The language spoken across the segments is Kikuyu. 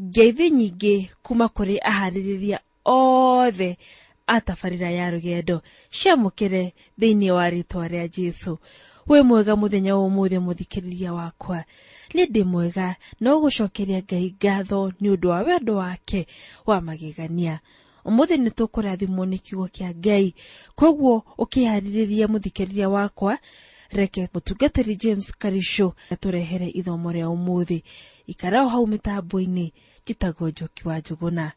Ngeithi nyingĩ kuma kũrĩ aharĩrĩria othe a tabarĩra ya rũgendo ciamũkĩre thĩinĩ wa rĩtwa rĩa Jesũ. Wĩ mwega mũthenya wa ũmũthĩ mũthikĩrĩria wakwa. Nĩ ndĩ mwega no gũcokeria Ngai ngatho nĩ ũndũ wa wendo wake wa magegania. Ũmũthĩ nĩ tũkũrathimwo nĩ kiugo kĩa Ngai, koguo ũkĩharĩrĩria mũthikĩrĩria wakwa, reke mũtungatĩri James Karisho atũrehere ithomo rĩa ũmũthĩ. Ikara o hau mĩtambo-inĩ, njĩtagwo Njoki wa Njũgũna.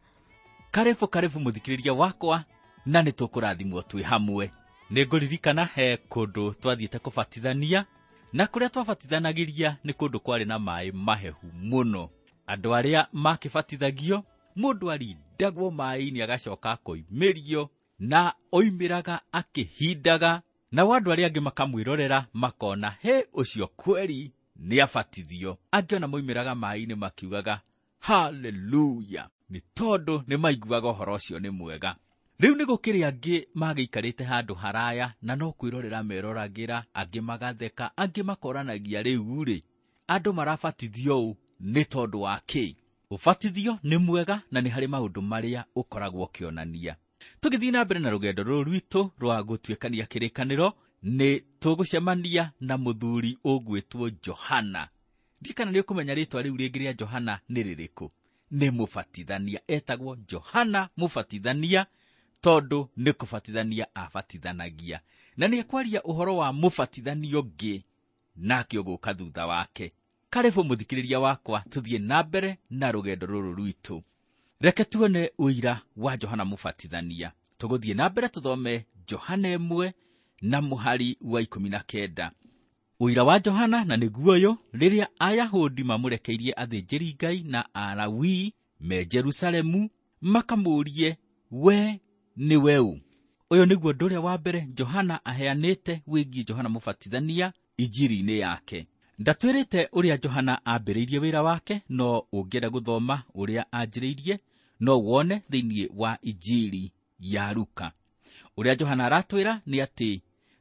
Karibu karibu mũthikĩrĩria wakwa, na nĩ tũkũrathimwo twĩ hamwe. Nĩ ngũririkana he kũndũ twathiĩte kũbatithania, na kũrĩa twabatithanagĩria nĩ kũndũ kwarĩ na maĩ mahehu mũno. Andũ arĩa makĩbatithagio, mũndũ arindagwo maĩ-inĩ agacoka akoimĩrio, na oimĩraga akĩhindaga, nao andũ arĩa angĩ makamwĩrorera makona he ũcio kweri nĩ abatithio. Angĩ ona moimĩraga maĩ-inĩ makiugaga haleluya, nĩ tondũ nĩ maiguaga ũhoro ũcio nĩ mwega. Rĩu nĩ gũkĩrĩ angĩ magĩikarĩte handũ haraya na no kwĩrorera meroragĩra, angĩ magatheka, angĩ makoranagia rĩu rĩ, andũ marabatithio ũũ nĩ tondũ wa kĩ? Ũbatithio nĩ mwega na nĩ harĩ maũndũ marĩa ũkoragwo ũkĩonania. Tũgĩthiĩ na mbere na rũgendo rũrũ rwitũ rwa gũtuĩkania kĩrĩkanĩro, nĩ tũgũcemania na mũthuri ũgwĩtwo Johana. Ndiũĩ kana nĩ ũkũmenya rĩtwa rĩu rĩngĩ rĩa Johana nĩ rĩrĩkũ. Nĩ mũbatithania, etagwo Johana mũbatithania tondũ nĩ kũbatithania abatithanagia. Na nĩ ekwaria ũhoro wa mũbatithania ũngĩ nake ũgũka thutha wake. Karibu mũthikĩrĩria wakwa, tũthiĩ na mbere na rũgendo rũrũ rwitũ. Reke tuone ũira wa Johana mũbatithania. Tũgũthiĩ na mbere tũthome Johana 1 na mũhari wa 19. Ũira wa Johana na nĩguo ũyũ, rĩrĩa Ayahudi mamũrekeirie athĩnjĩri-Ngai na Alawii me Jerusalemu makamũũrie, we nĩwe ũ? Ũyũ nĩguo ũndũ ũrĩa wa mbere Johana aheanĩte wĩgiĩ Johana mũbatithania injiri-inĩ yake. Ndatwĩrĩte ũrĩa Johana ambĩrĩirie wĩra wake, no ũngĩenda gũthoma ũrĩa anjĩrĩirie no wone thĩinĩ wa injiri ya Luka. Ũrĩa Johana aratwĩra nĩ atĩ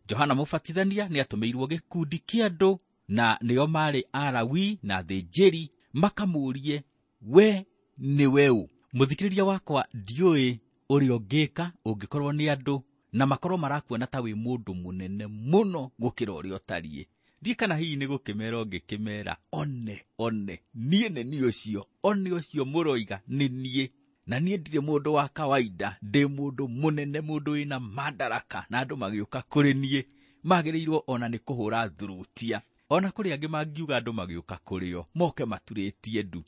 Johana mũbatithania nĩ atũmĩirwo gĩkundi kĩa andũ na nĩo marĩ Alawii na athĩnjĩri makamũũrie, we nĩwe ũ? Mũthikĩrĩria wakwa, ndiũĩ ũrĩa ũngĩka ũngĩkorwo nĩ andũ na makorwo marakuona ta wĩ mũndũ mũnene mũno gũkĩra ũrĩa ũtariĩ. Ndiũĩ kana hihi nĩ gũkĩmera ũngĩkĩmera, one, one, niĩ nĩ niĩ ũcio, one ũcio mũroiga nĩ niĩ. Na niĩ ndirĩ mũndũ wa kawaida, ndĩ mũndũ mũnene, mũndũ wĩna madaraka, na andũ magĩũka kũrĩ niĩ magĩrĩirwo ona nĩ kũhũra thurutia. Ona kũrĩ angĩ mangiuga andũ magĩũka kũrĩ o moke maturĩtie ndu.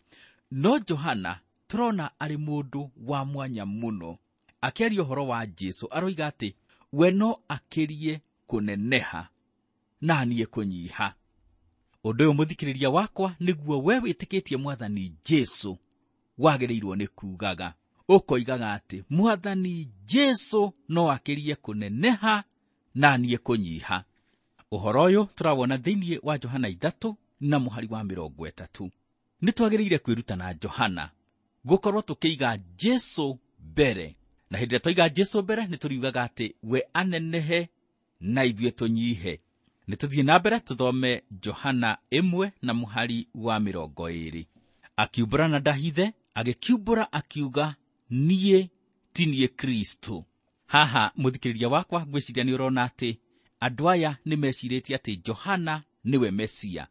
No Johana tũrona arĩ mũndũ wa mwanya mũno. Akĩaria ũhoro wa Jesũ aroiga atĩ we no akĩrie kũneneha na niĩ kũnyiha. Ũndũ ũyũ mũthikĩrĩria wakwa nĩguo we wĩtĩkĩtie Mwathani Jesũ wagĩrĩirwo nĩ kugaga. Ũkoigaga atĩ Mwathani Jesũ no akĩrie kũneneha na niĩ kũnyiha. Ũhoro ũyũ tũrawona thĩinĩ wa Johana 3 na mũhari wa 30. Nĩ twagĩrĩire kwĩruta na Johana gũkorwo tũkĩiga Jesũ mbere. Na hĩndĩ ĩrĩa twaiga Jesũ mbere nĩ tũriugaga atĩ we anenehe na ithuĩ tũnyihe. Nĩ tũthiĩ na mbere tũthome Johana 1 na mũhari wa 20. Akiumbũra na ndahithe, agĩkiumbũra akiuga, niĩ ti niĩ Kristũ. Haha mũthikĩrĩria wakwa ngwĩciria nĩ ũrona atĩ andũ aya nĩ mecirĩtie atĩ Johana nĩwe Mesia.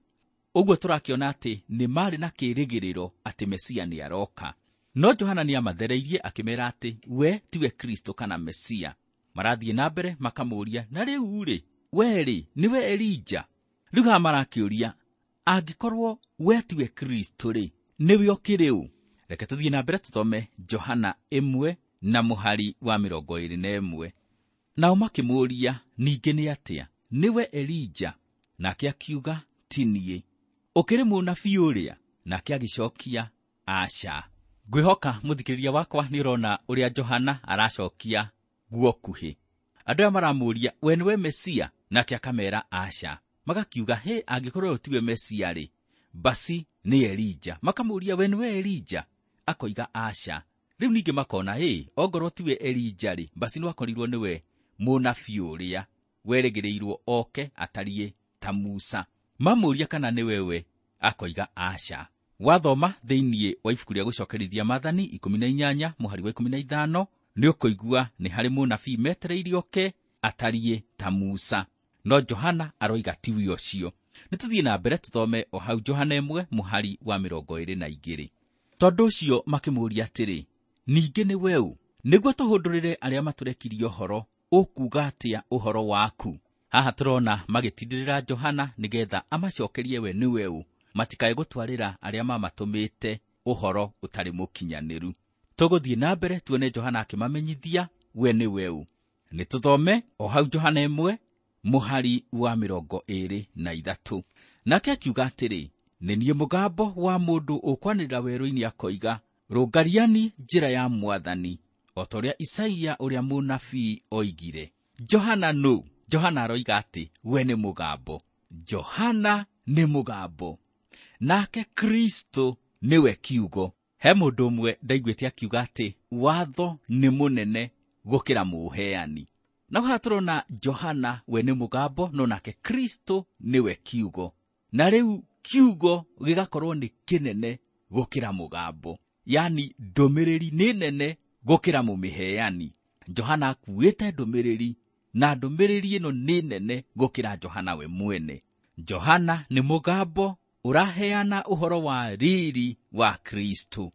Ũguo tũrakĩona atĩ nĩ marĩ na kĩĩrĩgĩrĩro atĩ Mesia nĩ aroka. No Johana nĩ amathereirie akĩmera atĩ we tiwe Kristũ kana Mesia. Marathiĩ na mbere makamũũria, na rĩu rĩ, we rĩ, nĩwe Elija? Rĩu haha marakĩũria, angĩkorwo we tiwe Kristũ rĩ, nĩwe ũkĩrĩ ũ? Reke tũthiĩ na mbere tũthome Johana 1 na mũhari wa 21. Nao makĩmũũria, ningĩ nĩ atĩa? Nĩwe Elija? Nake akiuga, ti niĩ. Ũkĩrĩ mũnabii ũrĩa? Nake agĩcokia, aca. Ngwĩhoka mũthikĩrĩria wakwa nĩ ũrona ũrĩa Johana aracokia guokuhĩ. Andũ aya maramũũria, we nĩwe Mesia? Nake akamera aca. Magakiuga, he, angĩkorwo ũyũ tiwe Mesia rĩ, basi nĩ Elija. Makamũũria, we nĩwe Elija? Akoiga aca. Rĩu ningĩ makona, ĩ, ongorwo tiwe Elija rĩ, basi no akorirwo nĩwe mũnabii ũrĩa werĩgĩrĩirwo oke atariĩ ta Musa. Mamũũria kana nĩwe we, akoiga aca. Wathoma thĩinĩ wa ibuku rĩa gũcokerithia maathani 18 mũhari wa 15 nĩ ũkũigua nĩ harĩ mũnabii metereire oke atariĩ ta Musa, no Johana aroiga tiwe ũcio. Nĩ tũthiĩ na mbere tũthome o hau Johana 1 mũhari wa 22. Tondũ ũcio makĩmũũria atĩrĩ, ningĩ nĩ weũ nĩguo tũhũndũrĩre arĩa matũrekirie ũhoro, ũkuuga atĩa ũhoro waku? Haha tũrona magĩtindĩrĩra Johana nĩgetha amacokerie we nĩ weũ, matikae gũtwarĩra arĩa mamatũmĩte ũhoro ũtarĩ mũkinyanĩru. Tũgũthiĩ na mbere tuone Johana akĩmamenyithia we nĩ weũ. Nĩ tũthome o hau Johana 1 mũhari wa 23. Nake akiuga atĩrĩ, nĩ niĩ mũgambo wa mũndũ ũkwanĩrĩra werũ-inĩ akoiga, rũngariani njĩra ya Mwathani, o ta ũrĩa Isaia ũrĩa mũnabii oigire. Johana nũ? Johana aroiga atĩ we nĩ mũgambo. Johana nĩ mũgambo, nake Kristo nĩwe kiugo. He mũndũ ũmwe ndaiguĩte akiuga atĩ watho nĩ mũnene gũkĩra mũheani. Na haha tũrona Johana we nĩ mũgambo, no nake Kristo nĩwe kiugo. Na rĩu kiugo gĩgakorwo nĩ kĩnene gũkĩra mũgambo, yani ndũmĩrĩri nĩ nene gũkĩra mũmĩheani. Johana akuĩte ndũmĩrĩri, na ndũmĩrĩri ĩno nĩ nene gũkĩra Johana we mwene. Johana nĩ mũgambo ũraheana ũhoro wa riri wa Kristo.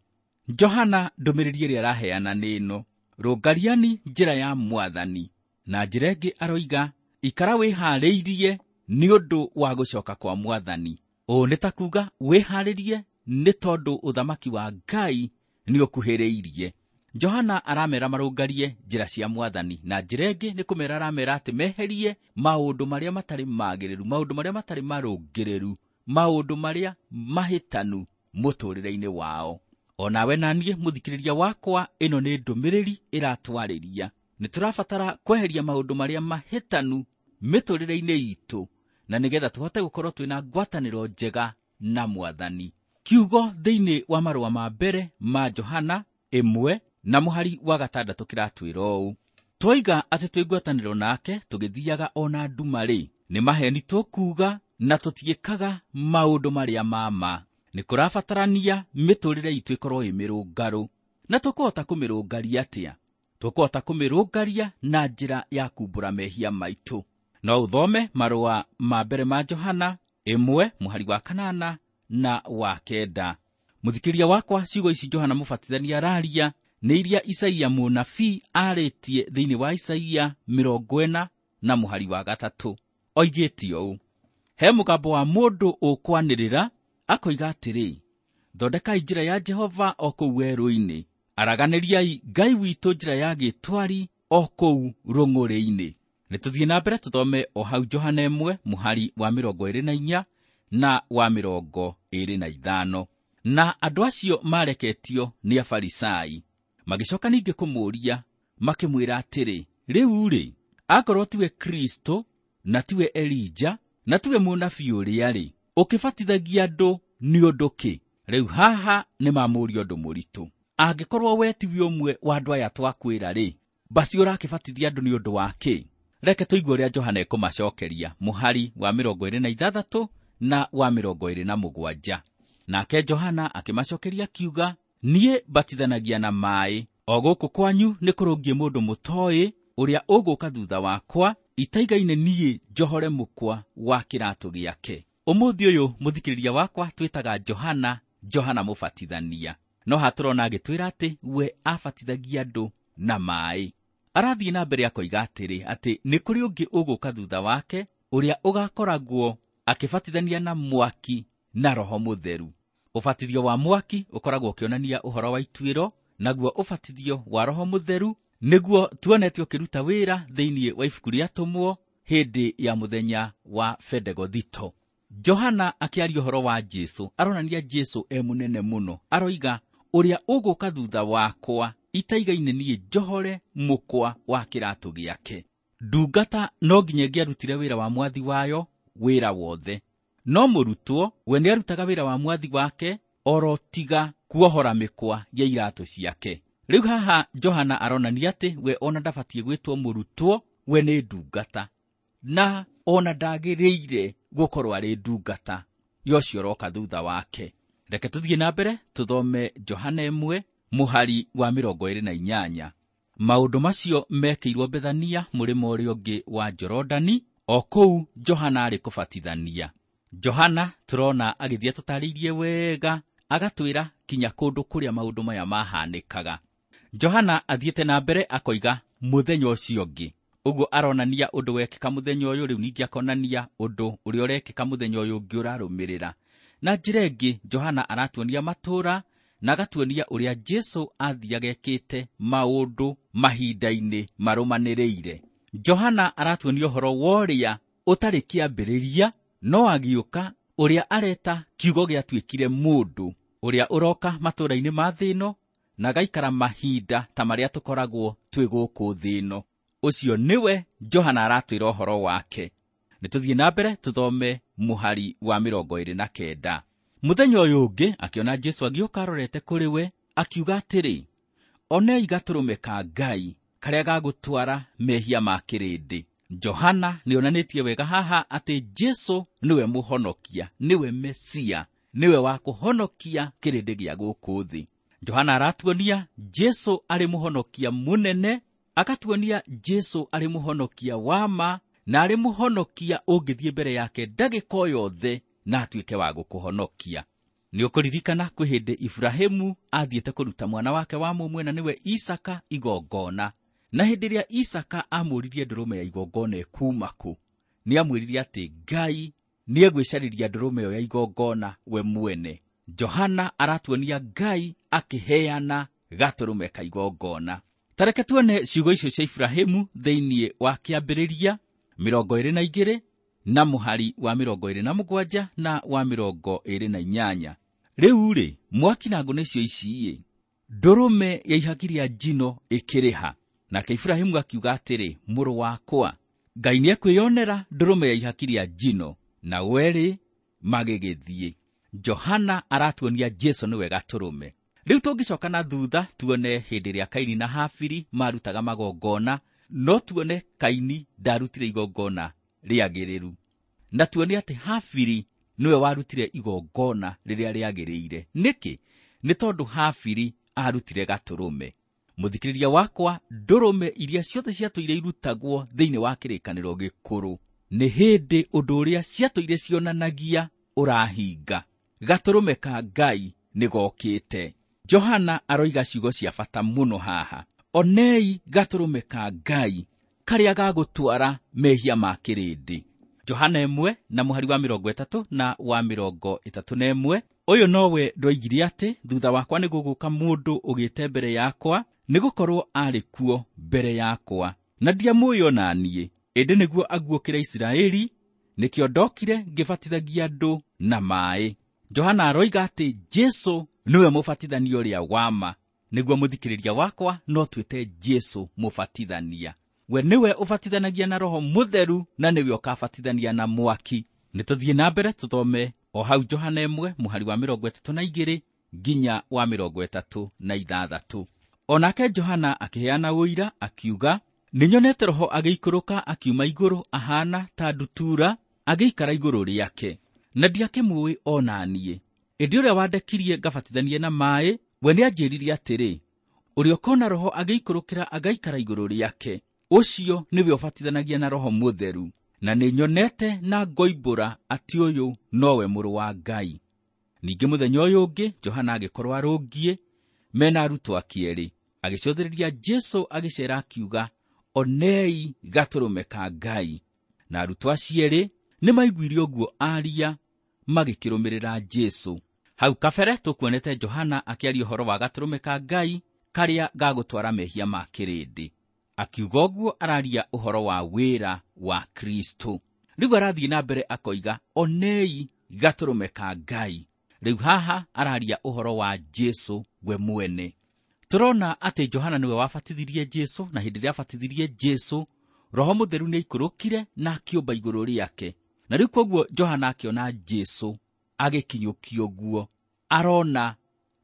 Johana ndũmĩrĩri ĩrĩa araheana nĩ ĩno, rũngariani njĩra ya Mwathani. Na njĩra ĩngĩ aroiga, ikara wĩharĩirie nĩ ũndũ wa gũcoka kwa Mwathani. Ũũ nĩ ta kuuga wĩharĩrie nĩ tondũ ũthamaki wa Ngai nĩ ũkuhĩrĩirie. Johana aramera marũngarie njĩra cia Mwathani, na njĩra ĩngĩ nĩ kũmera aramera atĩ meherie maũndũ marĩa matarĩ magĩrĩru, maũndũ marĩa matarĩ marũngĩrĩru, maũndũ marĩa mahĩtanu mũtũũrĩre-inĩ wao. O nawe na niĩ mũthikĩrĩria wakwa, ĩno nĩ ndũmĩrĩri ĩratwarĩria. Nĩ tũrabatara kweheria maũndũ marĩa mahĩtanu mĩtũũrĩre-inĩ itũ, na nĩgetha tũhote gũkorwo twĩna ngwatanĩro njega na Mwathani. Kiugo thĩinĩ wa marũa ma mbere ma Johana 1 na mũhari wa 6 kĩratwĩra ũũ, twoiga atĩ twĩ ngwatanĩro nake tũgĩthiaga o na nduma-rĩ, nĩ maheni tũkuuga na tũtiĩkaga maũndũ marĩa ma ma. Nĩ kũrabatarania mĩtũũrĩre itũ ĩkorwo ĩ mĩrũngarũ. Na tũkũhota kũmĩrũngaria atĩa? Tũkũhota kũmĩrũngaria na njĩra ya kumbũra mehia maitũ. No ũthome marũa ma mbere ma Johana 1 mũhari wa 8 na wa 9. Mũthikĩria wakwa, ciugo ici Johana Mũbatithania araria nĩ iria Isaia mũnabii arĩtie thĩinĩ wa Isaia 40 na mũhari wa 3. Oigĩte ũũ, he mũgambo wa mũndũ ũkwanĩrĩra akoiga atĩrĩ, thondekai njĩra ya Jehova o kũu werũ-inĩ, araganĩriai Ngai witũ njĩra ya gĩtwari o kũu rũng'ũrĩ-inĩ. Nĩ tũthiĩ na mbere tũthome o hau Johana 1 mũhari wa 24 na wa 25. Na andũ acio mareketio nĩ Afarisai magĩcoka ningĩ kũmũũria makĩmwĩra atĩrĩ, rĩu-rĩ, akorwo tiwe Kristo na tiwe Elija na tiwe mũnabii ũrĩa-rĩ, ũkĩbatithagia andũ nĩ ũndũ kĩ? Rĩu haha nĩ mamũũria ũndũ mũritũ. Angĩkorwo we tiwe ũmwe wa andũ aya twakwĩra-rĩ, basi ũrakĩbatithia andũ nĩ ũndũ wa kĩ? Reke tũigue ũrĩa Johana ekũmacokeria mũhari wa 26 na wa 27. Nake Johana akĩmacokeria akiuga, niĩ batithanagia na maaĩ, o gũkũ kwanyu nĩ kũrũngiĩ mũndũ mũtoĩ ũrĩa ũgũka thutha wakwa, itaigaine niĩ njohore mũkwa wa kĩratũ gĩake. Ũmũthĩ ũyũ mũthikĩrĩria wakwa twĩtaga Johana, Johana Mũbatithania. No haha tũrona agĩtwĩra atĩ we abatithagia andũ na maaĩ. Arathiĩ na mbere akoiga atĩrĩ, atĩ nĩ kũrĩ ũngĩ ũgũka thutha wake ũrĩa ũgakoragwo akĩbatithania na mwaki na Roho Mũtheru. Ũbatithio wa mwaki ũkoragwo ũkĩonania ũhoro wa ituĩro, naguo ũbatithio wa Roho Mũtheru nĩguo tuonete ũkĩruta wĩra thĩinĩ wa ibuku rĩa Atũmwo hĩndĩ ya mũthenya wa Bendegothito. Johana akĩaria ũhoro wa Jesũ aronania Jesũ e mũnene mũno. Aroiga, ũrĩa ũgũka thutha wakwa itaigaine niĩ njohore mũkwa wa kĩratũ gĩake. Ndungata no nginya ĩngĩarutire wĩra wa mwathi wayo wĩra wothe, no mũrutwo we nĩarutaga wĩra wa mwathi wake oro tiga kuohora mĩkwa ya iratũ ciake. Rĩu haha Johana aronania atĩ we ona ndabatiĩ gwĩtwo mũrutwo, we nĩ ndungata, na ona ndagĩrĩire gũkorwo arĩ ndungata ya ũcio ũroka thutha wake. Reke tũthiĩ na mbere tũthome Johana 1 mũhari wa 28. Maũndũ macio mekĩirwo Bethania mũrĩmo ũrĩa ũngĩ wa Jorodani, o kũu Johana arĩ kũbatithania. Johana tũrona agĩthiĩ atũtarĩirie wega, agatwĩra kinya kũndũ kũrĩa maũndũ maya mahanĩkaga. Johana athiĩte na mbere akoiga mũthenya ũcio ũngĩ. Ũguo aronania ũndũ wekĩka mũthenya ũyũ, rĩu ningĩ akonania ũndũ ũrĩa ũrekĩka mũthenya ũyũ ũngĩ ũrarũmĩrĩra. Na njĩra ĩngĩ, Johana aratuonia matũũra na agatuonia ũrĩa Jesu athiaga ekĩte maũndũ mahinda-inĩ marũmanĩrĩire. Johana aratuonia ũhoro wa ũrĩa ũtarĩ kĩambĩrĩria, no agĩũka, ũrĩa areta kiugo gĩatuĩkire mũndũ, ũrĩa ũroka matũũra-inĩ ma thĩ ĩno na agaikara mahinda ta marĩa tũkoragwo twĩ gũkũ thĩ ĩno. Ũcio nĩwe Johana aratwĩra ũhoro wake. Nĩ tũthiĩ na mbere tũthome mũhari wa 29. Mũthenya ũyũ ũngĩ akĩona Jesu agĩũka arorete kũrĩ we, akiuga atĩrĩ, onei gatũrũme ka Ngai karĩa gagũtwara mehia ma kĩrĩndĩ. Johana nĩonanĩtie wega haha atĩ Jesu nĩwe mũhonokia, nĩwe Mesia, nĩwe wa kũhonokia kĩrĩndĩ gĩa gũkũ thĩ. Johana aratuonia Jesu arĩ mũhonokia mũnene, akatuonia Jesu arĩ mũhonokia wa ma, na arĩ mũhonokia ũngĩthiĩ mbere yake ndagĩka o yothe na atuĩke wa gũkũhonokia. Nĩ ũkũririkana kwĩ hĩndĩ Ibrahimu athiĩte kũruta mwana wake wa mũmwe na nĩwe Isaka igongona. Na hĩndĩ ĩrĩa Isaka amũririe ndũrũme ya igongona ĩkuuma kũ, nĩamwĩrire atĩ Ngai nĩegwĩcarĩria ndũrũme ĩyo ya igongona we mwene. Johana aratuonia Ngai akĩheana gatũrũme ka igongona. Ta reke tuone ciugo icio cia Ibrahimu thĩinĩ wa Kĩambĩrĩria 22 na mũhari wa 27 na wa 28. Rĩu rĩ, mwaki na ngũ nĩcio ici-ĩ, ndũrũme ya ihaki rĩa njino ĩkĩrĩha. Nake Ibrahimu akiuga atĩrĩ, mũrũ wakwa, Ngai nĩekwĩyonera ndũrũme ya ihaki rĩa njino, na werĩ magĩgĩthiĩ. Johana aratuonia Jesu nĩwe gatũrũme. Rĩu tũngĩcoka na thutha tuone hĩndĩ ĩrĩa Kaini na Habili marutaga magongona, no tuone Kaini ndarutire igongona rĩagĩrĩru, na tuone atĩ Habili nĩwe warutire igongona rĩrĩa rĩagĩrĩire. Nĩkĩ? Nĩ tondũ Habili arutire gatũrũme. Mũthikĩrĩria wakwa, ndũrũme iria ciothe ciatũire irutagwo thĩinĩ wa kĩrĩkanĩro gĩkũrũ nĩ hĩndĩ ũndũ ũrĩa ciatũire cionanagia ũrahinga. Gatũrũme ka Ngai nĩgokĩte. Johana aroiga ciugo cia bata mũno haha. Onei gatũrũme ka Ngai karĩa gagũtwara mehia ma kĩrĩndĩ. Johana 1 na mũhari wa 30 na wa 31. Ũyũ nowe ndoigire atĩ thutha wakwa nĩgũgũka mũndũ ũgĩte mbere yakwa, nĩgũkorwo arĩ kuo mbere yakwa, na ndiamũĩ ona niĩ, ĩndĩ nĩguo aguũkĩre Isiraeli, nĩkĩo ndokire ngĩbatithagia andũ na maaĩ. Johana aroiga atĩ Jesu nĩwe mũbatithania ũrĩa wa ma. Nĩguo mũthikĩrĩria wakwa, no twĩte Jesu mũbatithania. We nĩwe ũbatithanagia na Roho Mũtheru na nĩwe ũkabatithania na mwaki. Nĩ tũthiĩ na mbere tũthome o hau Johana 1 mũhari wa 32 nginya wa 36. Onake Johana akĩheana ũira akiuga, nĩnyonete Roho agĩikũrũka akiuma igũrũ ahana ta ndutura agĩikara igũrũ rĩake, na ndiakĩmũĩ ona niĩ. Ĩndĩ ũrĩa wandekirie ngabatithanie na maaĩ, we nĩanjĩrire atĩrĩ, ũrĩa ũkona Roho agĩikũrũkĩra agaikara igũrũ rĩake, ũcio nĩwe ũbatithanagia na Roho Mũtheru. Na nĩnyonete na ngoimbũra atĩ ũyũ nowe mũrũ wa Ngai. Ningĩ mũthenya ũyũ ũngĩ Johana agĩkorwo arũngiĩ mena arutwo ake erĩ, agĩcũthĩrĩria Jesu agĩceera akiuga, onei gatũrũme ka Ngai. Na arutwo acio erĩ nĩmaiguire ũguo aria, magĩkĩrũmĩrĩra Jesu. Hau kabere tũkuonete Johana akĩaria ũhoro wa gatũrũme ka Ngai karĩa gagũtwara mehia ma kĩrĩndĩ. Akiuga ũguo araria ũhoro wa wĩra wa Kristo. Rĩu arathiĩ na mbere akoiga, onei gatũrũme ka Ngai. Rĩu haha araria ũhoro wa Jesu we mwene. Tũrona atĩ Johana nĩwe wabatithirie Jesu, na hĩndĩ ĩrĩa abatithirie Jesu, Roho Mũtheru nĩaikũrũkire na akĩũmba igũrũ rĩake. Na rĩu kwoguo Johana akĩona Jesu agĩkinyũkia ũguo, arona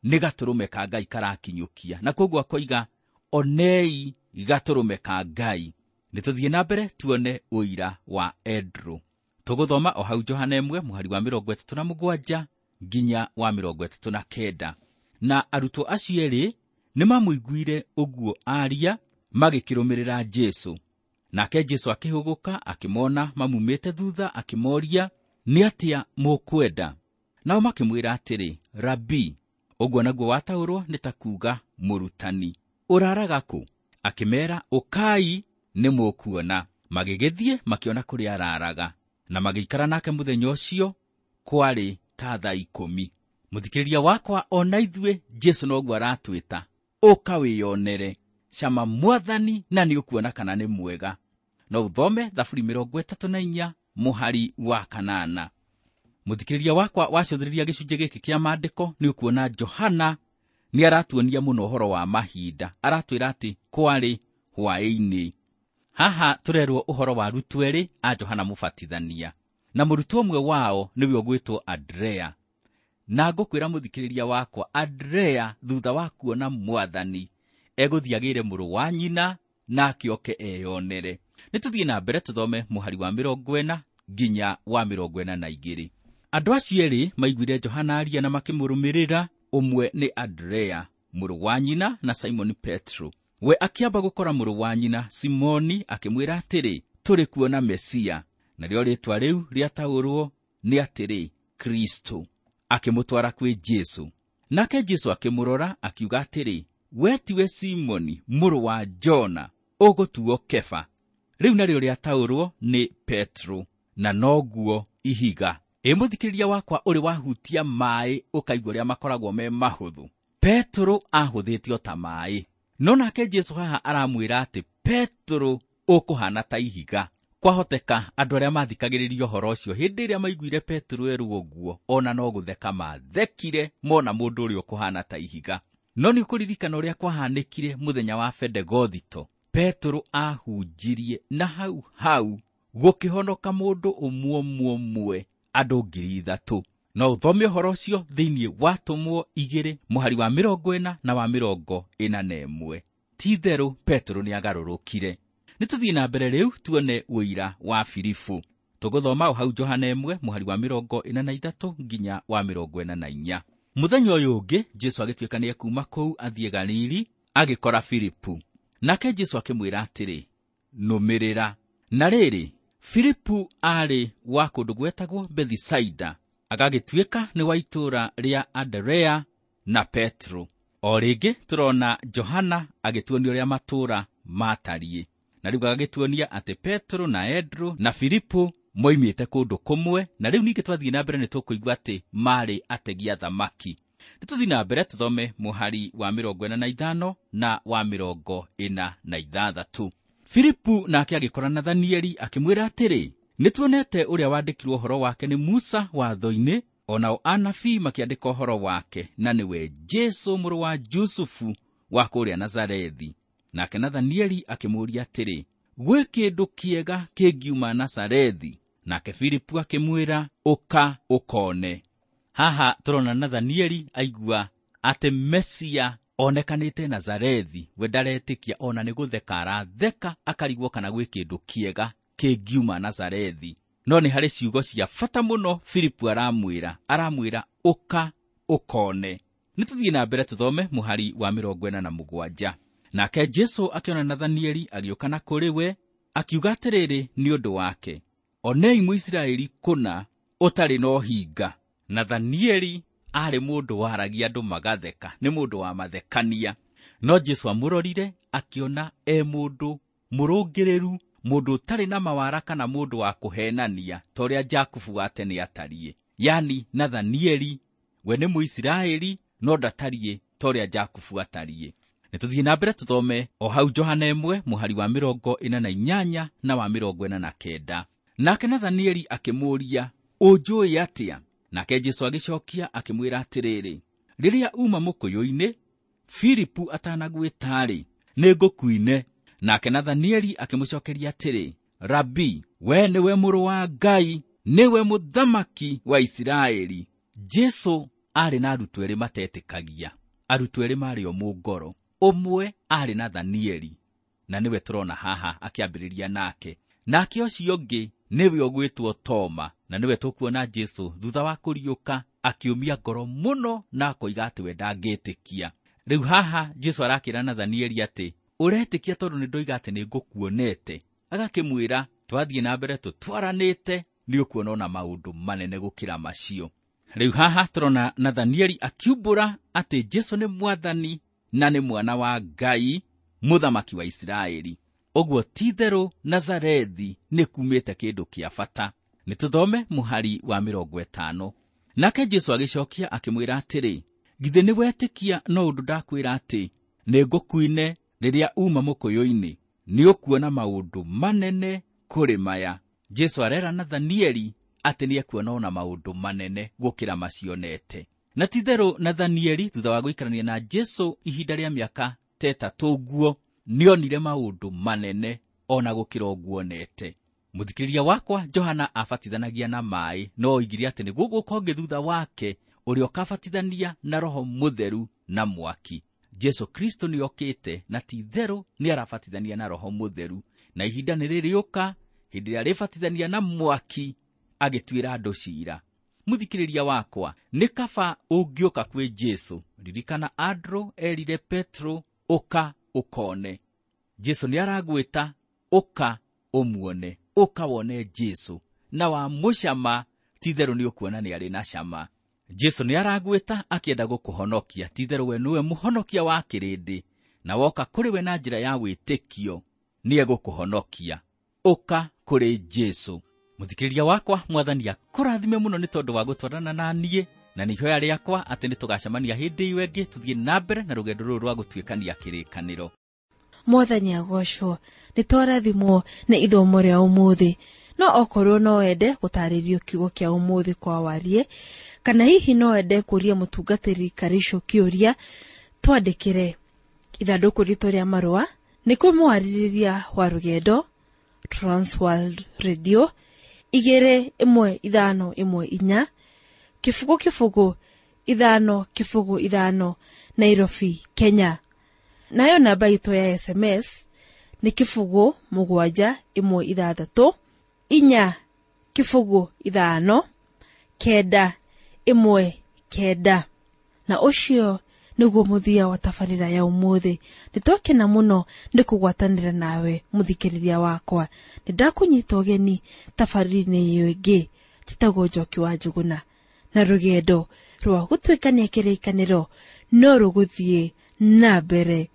nĩ gatũrũme ka Ngai karakinyũkia, na kwoguo akoiga, onei gatũrũme ka Ngai. Nĩ tũthiĩ na mbere tuone ũira wa Andrew. Tũgũthoma o hau Johana 1 mũhari wa 37 nginya wa 39. Na arutwo acio erĩ nĩmamũiguire ũguo aria, magĩkĩrũmĩrĩra Jesũ. Nake Jesũ akĩhũgũka akĩmona mamumĩte thutha, akĩmoria, nĩ atĩa mũkwenda? Nao makĩmwĩra atĩrĩ, Rabi, ũguo naguo wataũrwo nĩ ta kuuga mũrutani, ũraraga kũ? Akĩmeera, ũkai nĩ mũkuona. Magĩgĩthiĩ makĩona kũrĩa araraga, na magĩikara nake mũthenya ũcio kwarĩ ta thaa 10. Mũthikĩrĩria wakwa, ona ithuĩ Jesũ noguo aratwĩta, ũka wĩyonere, cama mwathani na nĩ ũkuona kana nĩ mwega. No ũthome Thaburi 34 mũhari wa 8. Mũthikĩrĩria wakwa, wacũthĩrĩria gĩcunjĩ gĩkĩ kĩa maandĩko nĩ ũkuona Johana nĩ aratuonia mũno ũhoro wa mahinda. Aratwĩra atĩ kwarĩ hwaĩ-inĩ. Haha tũrerwo ũhoro wa arutwo erĩ a Johana Mũbatithania, na mũrutwo ũmwe wao nĩwe ũgwĩtwo Andrea. Na ngũkwĩra mũthikĩrĩria wakwa, Andrea thutha wa kuona mwathani egũthiĩ agĩre mũrũ wa nyina nake oke eyonere. Nĩ tũthiĩ na mbere tũthome mũhari wa 40 nginya wa 42. Andũ acio erĩ maiguire Johana aria na makĩmũrũmĩrĩra, ũmwe nĩ Andrea mũrũ wa nyina na Simoni Petro. We akĩamba gũkora mũrũ wa nyina Simoni akĩmwĩra atĩrĩ, tũrĩ kuona Mesia, narĩo rĩĩtwa rĩu rĩataũrwo nĩ atĩrĩ, Kristo. Akĩmũtwara kwĩ Jesũ. Nake Jesũ akĩmũrora akiuga atĩrĩ, we tiwe Simoni mũrũ wa Jona, ũgũtuo Kefa. Rĩu narĩo rĩataũrwo nĩ Petro, na noguo ihiga. Ĩ mũthikĩrĩria wakwa, ũrĩ wahutia maĩ ũkaigua ũrĩa makoragwo me mahũthũ. Petro ahũthĩtio ta maĩ, no nake Jesũ haha aramwĩra atĩ Petro ũkũhana ta ihiga. Kwahoteka andũ arĩa mathikagĩrĩria ũhoro ũcio hĩndĩ ĩrĩa maiguire Petro erwo ũguo, ona no gũtheka mathekire mona mũndũ ũrĩa ũkũhana ta ihiga. No nĩ ũkũririkana ũrĩa kwahanĩkire mũthenya wa Bendegothito. Petro ahunjirie na hau hau gũkĩhonoka mũndũ ũmwe ũmwe andũ 3,000. No ũthome ũhoro ũcio thĩinĩ wa Atũmwo 2 mũhari wa 40 na wa 41. Ti-itherũ Petro nĩagarũrũkire. Nĩ tũthiĩ na mbere rĩu tuone ũira wa Filipu. Tũgũthoma o hau Johana 1 mũhari wa 43 nginya wa 44. Mũthenya ũyũ ũngĩ Jesũ agĩtuĩka nĩekuuma kũu athiĩ Galili, agĩkora Filipu. Nake Jesũ akĩmwĩra atĩrĩ, nũmĩrĩra. Na rĩrĩ, Filipu aarĩ wa kũndũ gwetagwo Bethisaida, agagĩtuĩka nĩ wa itũũra rĩa Anderea na Petro. O rĩngĩ tũrona Johana agĩtuonia ũrĩa matũũra matariĩ. Na rĩu agagĩtuonia atĩ Petro na Andrew na Filipu moimĩte kũndũ kũmwe, na rĩu ningĩ twathiĩ na mbere nĩ tũkũigua atĩ maarĩ ategi a thamaki. Nĩ tũthiĩ na mbere tũthome mũhari wa 45 na wa 46. Filipu nake agĩkora Nathanieli akĩmwĩra atĩrĩ, nĩtuonete ũrĩa wandĩkirwo ũhoro wake nĩ Musa watho-inĩ, o nao anabii makĩandĩka ũhoro wake, na nĩwe Jesũ mũrũ wa Jusufu wa kũrĩa Nazarethi. Nake Nathanieli akĩmũũria atĩrĩ, gwĩ kĩndũ kĩega kĩngiuma Nazarethi? Nake Filipu akĩmwĩra, ũka ũkone. Haha tũrona Nathanieli aigua atĩ Mesia onekanĩte Nazarethi, we ndaretĩkia ona nĩ gũtheka aratheka, akarigwo kana gwĩ kĩndũ kĩega kĩngiuma Nazarethi. No nĩ harĩ ciugo cia bata mũno Filipu aramwĩra ũka ũkone. Nĩ tũthiĩ na mbere tũthome mũhari wa 47. Nake Jesũ akĩona Nathanieli agĩũka na kũrĩ we, akiuga atĩrĩrĩ nĩ ũndũ wake, onei Mũisiraeli kũna ũtarĩ na ũhinga. Nathanieli aarĩ mũndũ waragia andũ magatheka, nĩ mũndũ wa mathekania. No Jesũ amũrorire akĩona e mũndũ mũrũngĩrĩru, mũndũ ũtarĩ na mawara kana mũndũ wa kũhenania ta ũrĩa Jakubu wa tene atariĩ. Yani Nathanieli we nĩ Mũisiraeli no ndatariĩ ta ũrĩa Jakubu atariĩ. Nĩ tũthiĩ na mbere tũthome o hau Johana 1 mũhari wa 48 na wa 49. Nake Nathanieli akĩmũũria, ũnjũĩ atĩa? Nake Jesũ agĩcokia akĩmwĩra atĩrĩrĩ, rĩrĩa uma mũkũyũ-inĩ, Filipu atanagwĩta-rĩ, nĩngũkuine. Nake Nathanieli akĩmũcokeria atĩrĩ, Rabi, we nĩwe mũrũ wa Ngai, nĩwe mũthamaki wa Isiraeli. Jesũ aarĩ na arutwo erĩ matetĩkagia. Arutwo erĩ maarĩ o mũngoro. Ũmwe aarĩ Nathanieli, na nĩwe tũrona haha akĩambĩrĩria nake. Nake ũcio ũngĩ nĩwe ũgwĩtwo Toma, na nĩwe tũkuona Jesũ thutha wa kũriũka Akĩũmia ngoro mũno na akoiga atĩ we ndangĩtĩkia. Rĩu haha Jesũ arakĩra Nathanieli atĩ ũretĩkia tondũ nĩ ndoiga atĩ nĩ ngũkuonete. Agakĩmwĩra twathiĩ na mbere tũtwaranĩte nĩ ũkuona ona maũndũ manene gũkĩra macio. Rĩu haha tũrona Nathanieli akiumbũra atĩ Jesũ nĩ mwathani na nĩ mwana wa Ngai, mũthamaki wa Isiraeli. Ũguo ti-itherũ Nazarethi nĩ kumĩte kĩndũ kĩa bata. Nĩ tũthome mũhari wa 50. Nake Jesũ agĩcokia akĩmwĩra atĩrĩ, githĩ nĩ wetĩkia no ũndũ ndakwĩra atĩ nĩ ngũkuine rĩrĩa uma mũkũyũ-inĩ, nĩ ũkuona maũndũ manene kũrĩ maya. Jesũ arera Nathanieli atĩ nĩ ekuona ona maũndũ manene gũkĩra macionete. Na ti-itherũ Nathanieli thutha wa gũikarania na Jesũ ihinda rĩa mĩaka ta 3 nguo nĩonire maũndũ manene ona gũkĩra ũguo onete. Mũthikĩrĩria wakwa Johana abatithanagia na maĩ, no oigire atĩ nĩ gũgũka ũngĩ thutha wake ũrĩa ũkabatithania na Roho Mũtheru na mwaki. Jesũ Kristo nĩokĩte na ti-itherũ nĩarabatithania na Roho Mũtheru, na ihinda nĩ rĩrĩũka hĩndĩ ĩrĩa arĩbatithania na mwaki agĩtuĩra andũ ciira. Mũthikĩrĩria wakwa, nĩ kaba ũngĩũka kwĩ Jesũ. Ririkana Andrew erire Petro, ũka ũkone. Jesũ nĩaragwĩta, ũka ũmuone, ũka wone Jesũ, na wamũcama ti-itherũ nĩũkuona nĩ arĩ na cama. Jesũ nĩaragwĩta akĩenda gũkũhonokia, ti-itherũ we nĩwe mũhonokia wa kĩrĩndĩ, na woka kũrĩ we na njĩra ya wĩtĩkio nĩegũkũhonokia. Ũka kũrĩ Jesũ. Mũthikĩrĩria wakwa, mwathani akũrathime mũno nĩ tondũ wa gũtwarana na niĩ, na nĩ ihoya rĩakwa atĩ nĩtũgacemania hĩndĩ ĩyo ĩngĩ tũthiĩ na mbere na rũgendo rũrũ rwa gũtuĩkania kĩrĩkanĩro. Mwathani agocwo, nĩ twarathimwo nĩ ithomo rĩa ũmũthĩ. No okorwo no wende gũtarĩrio kiugo kĩa ũmũthĩ kwa warie, kana hihi no wende kũria mũtungatĩri Karicũ kĩũria, twandĩkĩre ithandũkũ ritũ rĩa marũa nĩ kwĩ mwarĩrĩria wa rũgendo Transworld Radio 21514 0 0 5 0 5 Nairobi, Kenya. Nayo namba itũ ya SMS nĩ 0 7 1 6 4 0 5 9 1 9. Na ũcio nĩguo mũthia wa tabarĩra ya ũmũthĩ. Nĩtwakena mũno nĩ kũgwatanĩra nawe mũthikĩrĩria wakwa. Nĩndakũnyita ũgeni tabarĩra-inĩ ĩyo ĩngĩ. Njĩtagwo Njoki wa Njũgũna, na rũgendo rwa gũtuĩkania kĩrĩkanĩro no rũgũthiĩ na mbere.